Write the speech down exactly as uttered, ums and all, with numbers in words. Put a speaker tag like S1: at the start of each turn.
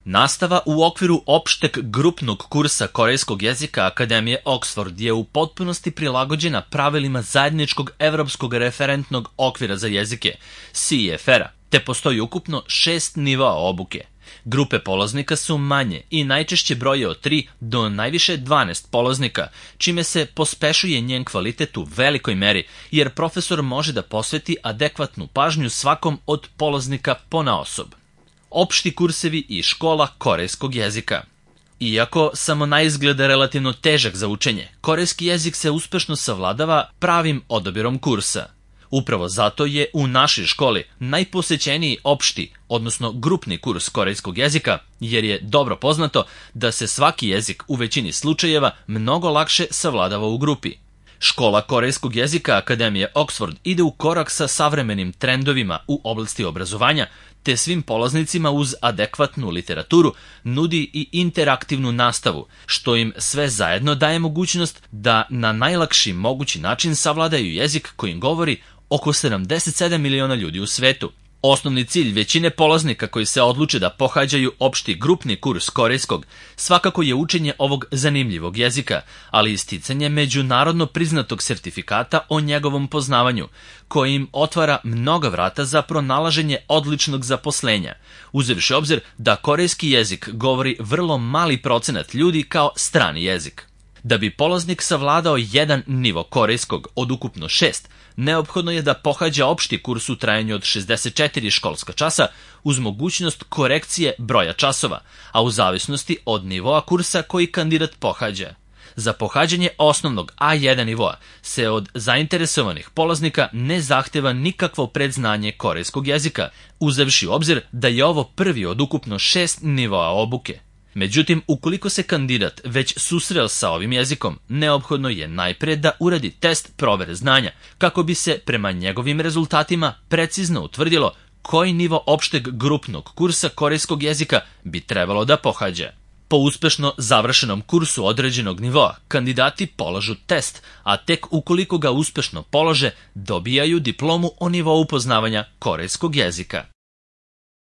S1: Nastava u okviru opšteg grupnog kursa korejskog jezika Akademije Oxford je u potpunosti prilagođena pravilima zajedničkog evropskog referentnog okvira za jezike, C E F R-a, te postoji ukupno šest nivoa obuke. Grupe polaznika su manje i najčešće broje od tri do najviše dvanaest polaznika, čime se pospešuje njen kvalitet u velikoj meri, jer profesor može da posveti adekvatnu pažnju svakom od polaznika ponaosob. Opšti kursevi i škola korejskog jezika. Iako samo na izgled relativno težak za učenje, korejski jezik se uspešno savladava pravim odabirom kursa. Upravo zato je u našoj školi najposećeniji opšti, odnosno grupni kurs korejskog jezika, jer je dobro poznato da se svaki jezik u većini slučajeva mnogo lakše savladava u grupi. Škola korejskog jezika Akademije Oxford ide u korak sa savremenim trendovima u oblasti obrazovanja, te svim polaznicima uz adekvatnu literaturu nudi i interaktivnu nastavu, što im sve zajedno daje mogućnost da na najlakši mogući način savladaju jezik kojim govori oko sedamdeset sedam miliona ljudi u svetu. Osnovni cilj većine polaznika koji se odluče da pohađaju opšti grupni kurs korejskog svakako je učenje ovog zanimljivog jezika, ali i sticanje međunarodno priznatog sertifikata o njegovom poznavanju, koji im otvara mnoga vrata za pronalaženje odličnog zaposlenja, uzevši obzir da korejski jezik govori vrlo mali procenat ljudi kao strani jezik. Da bi polaznik savladao jedan nivo korejskog od ukupno šest, neophodno je da pohađa opšti kurs u trajanju od šezdeset četiri školska časa uz mogućnost korekcije broja časova, a u zavisnosti od nivoa kursa koji kandidat pohađa. Za pohađanje osnovnog A jedan nivoa se od zainteresovanih polaznika ne zahteva nikakvo predznanje korejskog jezika, uzevši u obzir da je ovo prvi od ukupno šest nivoa obuke. Međutim, ukoliko se kandidat već susreo sa ovim jezikom, neophodno je najpre da uradi test provere znanja, kako bi se prema njegovim rezultatima precizno utvrdilo koji nivo opšteg grupnog kursa korejskog jezika bi trebalo da pohađa. Po uspešno završenom kursu određenog nivoa, kandidati polažu test, a tek ukoliko ga uspešno polože, dobijaju diplomu o nivou poznavanja korejskog jezika.